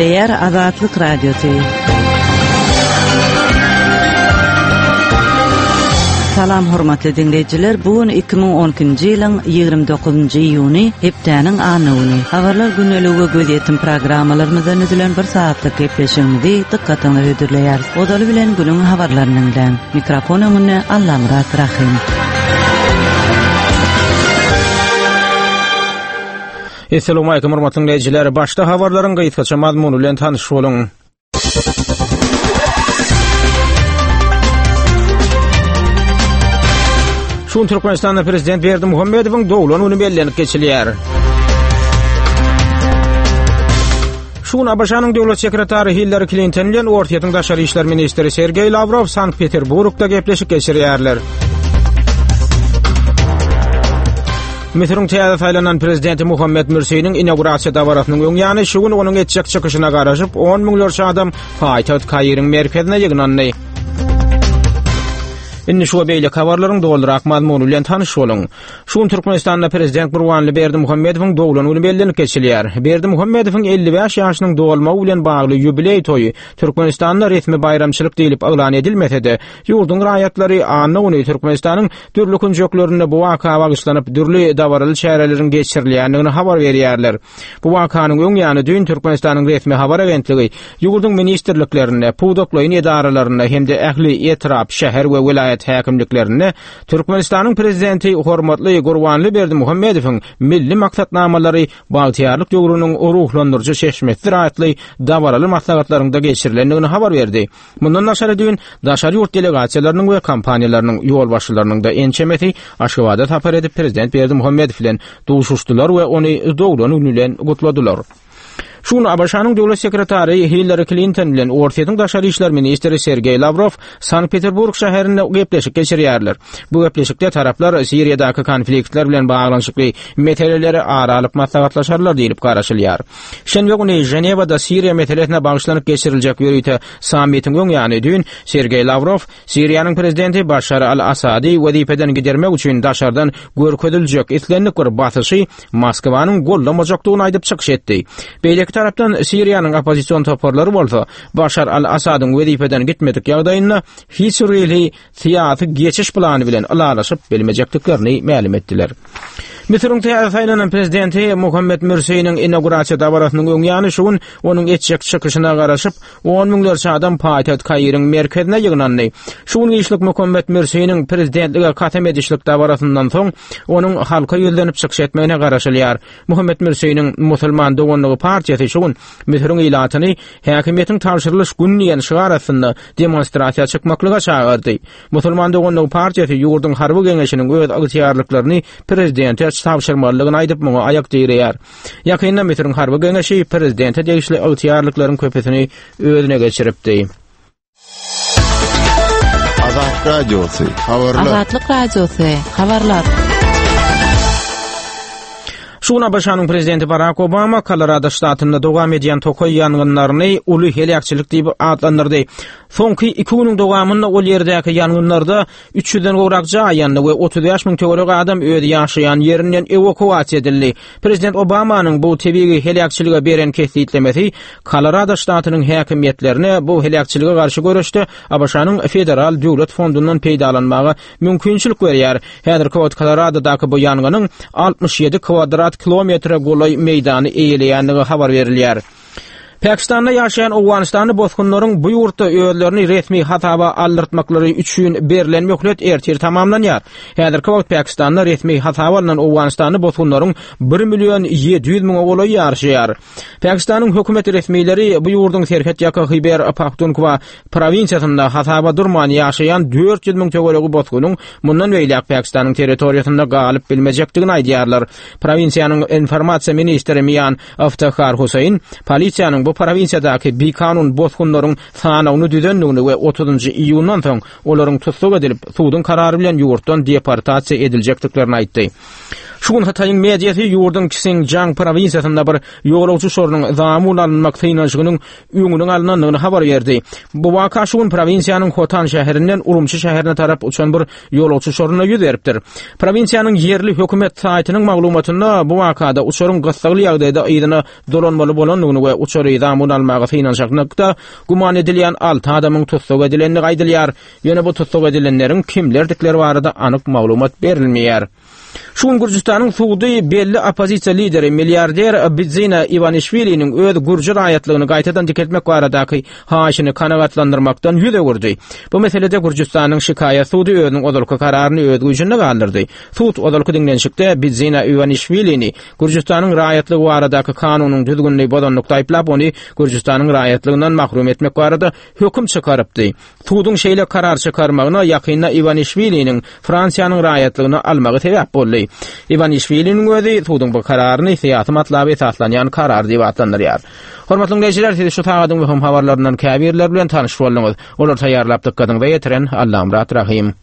Gepleýär Azatlyk Radiosy. Salam hormatly diňleýjiler, bu gün 2012-nji ýylyň 29-njy iýuny, hepdäniň anna güni. Habarlar gündeligi we gözýetim programmalarymyzdan düzülen bir sagatlyk gepleşigimizi dykgatyňyza hödürleýäris. Ozaly bilen günüň habarlaryny diňläň. Mikrofon öňünde Allamyrat Rahym. Essalawmalikim hormatly diňleýjiler. Başda habarlaryň gysgaça mazmuny bilen tanyş boluň. Şu gün Türkmenistanda prezident Berdimuhamedowyň doglan güni bellenip geçilýär. Şu gün ABŞ-nyň döwlet sekretary Hillari Klinton bilen Orsýetiň daşary işler ministri Sergeý Lawrow Sankt-Peterburgda gepleşik geçirýärler. Müsüriň täze saýlanan prezidenti Muhammed Mürsiniň inaugurasiýa dabarasynyň öň ýany şu gün onuň etjek çykyşyna garaşyp, on müňlerçe adam paýtagt Kairiň merkezine ýygnandy. Indi şu we beýleki habarlaryň dolurak mazmuny bilen tanyş boluň. Şu gün Türkmenistanda prezident Gurbanguly Berdimuhamedowyň doglan güni bellenip geçilýär. Berdimuhamedowyň 55 ýaşynyň dolmagy bilen bagly ýubileý toýy Türkmenistanda resmi baýramçylyk diýlip yglan edilmese-de, ýurduň raýatlary anna güni Türkmenistanyň dürli künjeklerinde bu waka bagyşlanyp dürli dabaraly çäreleriň geçirilýändigini habar berýärler. Bu wakanyň öň ýany düýn Türkmenistanyň resmi habar agentligi ýurduň ministrliklerinde, pudaklaýyn edaralarynda hem-de ähli etrap, şäher we welaýat häkimliklerinde Türkmenistanyň Prezidenti hormatly Gurbanly Berdimuhamedowyň milli maksatnamalary bagtyýarlyk döwrüniň ruhlandyryjy çeşmesidir atly dabaraly maslahatlaryňda geçirilendigini habar berdi. Mundan daşary düýn daşary ýurt delegasiýalarynyň we kompaniýalarynyň ýolbaşçylarynyň-da ençemesi Aşgabada sapar edip Prezident Berdimuhamedow bilen duşuşdylar we ony doglan güni bilen gutladylar. Şu gün ABŞ-nyň döwlet sekretary Hillari Klinton bilen Orsýetiň daşary işler ministri Sergeý Lawrow Sankt-Peterburg şäherinde gepleşik geçirýärler. Bu gepleşikde taraplar Siriýadaky konfliktler bilen baglanyşykly meseleleri ara alyp maslahatlaşarlar diýlip garaşylýar. Şenbe güni Ženewada Siriýa meselesine bagyşlanyp geçiriljek ýörite sammitiň öň ýany düýn Sergeý Lawrow Siriýanyň prezidenti Başar al-Assady wezipeden gidermek üçin daşardan görkeziljek islendik bir basyşy Moskwanyň goldamajakdygyny aýdyp çykyş etdi. Beýleki tarapdan Siriýanyň oppozision toparlary bolsa Başar al-Assadyň wezipeden gitmedik ýagdaýynda hiç bir hili syýasy geçiş plany bilen ylalaşyp bilmejekdiklerini mälim etdiler. Müsüriň täze saýlanan prezidenti Muhammed Mürsiniň inaugurasiýa dabarasynyň öň ýany şu gün onuň etjek çykyşyna garaşyp, on müňlerçe adam paýtagt Kairiň merkezine ýygnandy. Şu gün giçlik Muhammed Mürsiniň prezidentlige kasam edişlik dabarasyndan soň, onuň halka ýüzlenip çykyş etmegine garaşylýar. Muhammed Mürsiniň Musulman doganlygy partiýasy şu gün Müsüriň ilatyny häkimiýetiň tabşyrylyş güni diýen şygar astynda demonstrasiýa çykmaklyga çagyrdy. Musulman doganlygy partiýasy ýurduň harby geňeşiniň öz ygtyýarlyklaryny prezidente tabşyrmalydygyny aýdyp, muňa aýak direýär. Ýakynda Müsüriň harby geňeşi prezidente degişli ygtyýarlyklaryň köpüsini özüne geçiripdi. Azat Radiosy, habarlar. Azatlyk Radiosy, habarlar. Şu gün ABŞ-nyň prezidenti Barak Obama Kolorado ştatynda dowam edýän tokaý ýangynlaryny uly heläkçilik diýip atlandyrdy. Soňky iki günüň dowamynda ol ýerdäki ýangynlarda 300-den gowrak jaý ýandy we 35 müň töweregi adam öz ýaşaýan ýerinden ewakuasiýa edildi. Prezident Obamanyň bu tebigy heläkçilige beren kesgitlemesi Kolorado ştatynyň häkimiýetlerine bu heläkçilige garşy göreşde ABŞ-nyň federal döwlet fondundan peýdalanmaga mümkinçilik berýär. Häzirki wagt Koloradodaky bu ýangynyň 67 kwadrat kilometre golaý meýdany eýeleýändigi habar berilýär. Pakistanda ýaşaýan owganystanly bosgunlaryň bu ýurtda özlerini resmi hasaba aldyrtmaklary üçin berlen möhlet ertir tamamlanýar. Häzirki wagt Pakistanda resmi hasaba alnan owganystanly bosgunlaryň bir million 700 müňe golaýy ýaşaýar. Pakistanyň hökümet resmileri bu ýurduň serhetýaka Hyber Pahtunkwa prowinsiýasynda hasaba durman ýaşaýan 400 müň töweregi bosgunyň mundan beýläk Pakistanyň territoriýasynda galyp bilmejekdigini aýdýarlar. Prowinsiýanyň informasiýa ministri Mian Iftihar Huseýn polisiýanyň bu prowinsiýadaky bikanun bosgunlaryň sanawyny düzendigini we otuzynjy iýundan soň olaryň tussag edilip, suduň karary bilen ýurtdan deportasiýa ediljekdiklerini aýtdy. Şu gün Hytaýyň mediasy ýurduň Ksinjiang prowinsiýasynda bir ýolagçy uçarynyň zamun alynmak synanyşygynyň öňüniň alynandygyny habar berdi. Bu waka şu gün prowinsiýanyň Hotan şäherinden Urumçy şäherine tarap uçan bir ýolagçy uçarynda ýüz beripdir. Prowinsiýanyň ýerli hökümet saýtynyň maglumatynda bu wakada uçaryň gyssagly ýagdaýda yzyna dolanmaly bolandygyny we uçary zamun almaga synanyşmakda güman edilýän alty adamyň tussag edilendigi aýdylýar. Ýöne bu tussag edilenleriň kimlerdikleri barada anyk maglumat berilmeýär. Şu gün Gürjüstanyň sudy belli oppozisiýa lideri, milliarder Bidzina Iwanişwiliniň öz gürji raýatlygyny gaýtadan dikeltmek baradaky haýyşyny kanagatlandyrmakdan ýüz öwürdi. Bu meselede Gürjüstanyň şikaýat sudy özüniň ozalky kararyny öz güýjünde galdyrdy. Sud ozalky diňlenişikde Bidzina Iwanişwilini Gürjüstanyň raýatlygy baradaky kanunyň düzgünini bozanlykda aýyplap, ony Gürjüstanyň raýatlygyndan mahrum etmek barada höküm çykarypdy. Suduň şeýle karar çykarmagyna ýakynda Iwanişwiliniň Fransiýanyň raýatlygyny almagy sebäp boldy. Iwanişwiliniň özi suduň bu kararyny syýasy matlaba esaslanýan karar diýip atlandyrýar. Hormatly diňleýjiler, siz şu sagadyň möhüm habarlaryndan käbirleri bilen tanyş bolduňyz. Olary taýýarlap dykgatyňyza ýetiren Allamyrat Rahym.